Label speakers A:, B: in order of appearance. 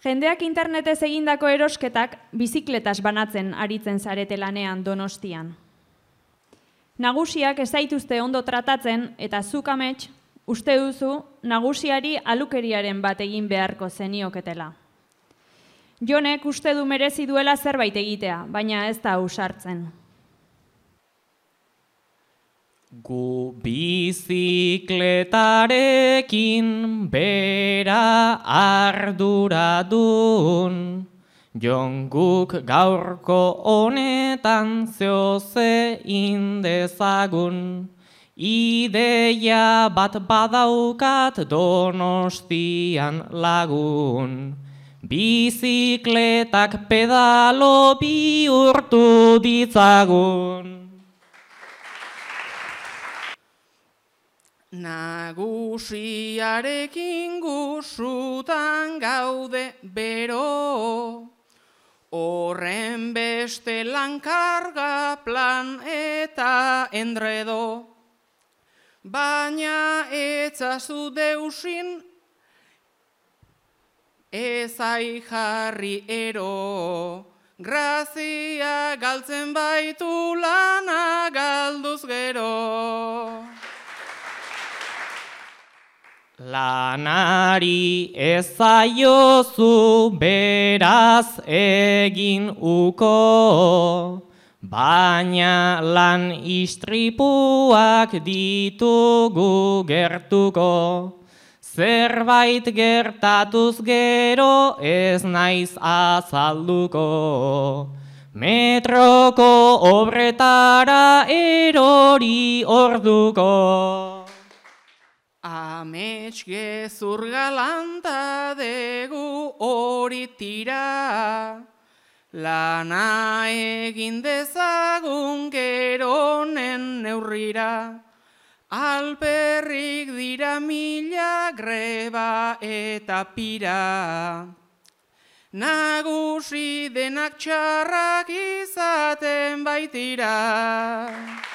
A: Jendeak internetez egindako erosketak bizikletas banatzen aritzen zarete lanean Donostian. Nagusiak ez zaituzte ondo tratatzen eta zuk amets uste duzu nagusiari alukeriaren bat egin beharko zenioketela. Jonek uste du merezi duela zerbait egitea, baina ez da ausartzen.
B: Gu bizikletarekin bera arduradun, Jon guk gaurko honetan zeoze indezagun, ideia bat badaukat Donostian lagun, bizikletak pedalo bihurtu ditzagun.
C: Nagusiarekin gusutan gaude bero, horren beste lankarga plan eta endredo, baina etzazu deusin ezai jarri ero, grazia galtzen baitu lana galduz gero.
B: Lanari ez zaiozu beraz egin uko, baina lan istripuak ditugu gertuko. Zerbait gertatuz gero ez naiz azalduko, metroko obretara erori orduko.
C: Amets gezur galanta degu hori tira, lana egin dezagun geronen neurrira, alperrik dira mila greba eta pira, nagusi denak txarrak izaten baitira.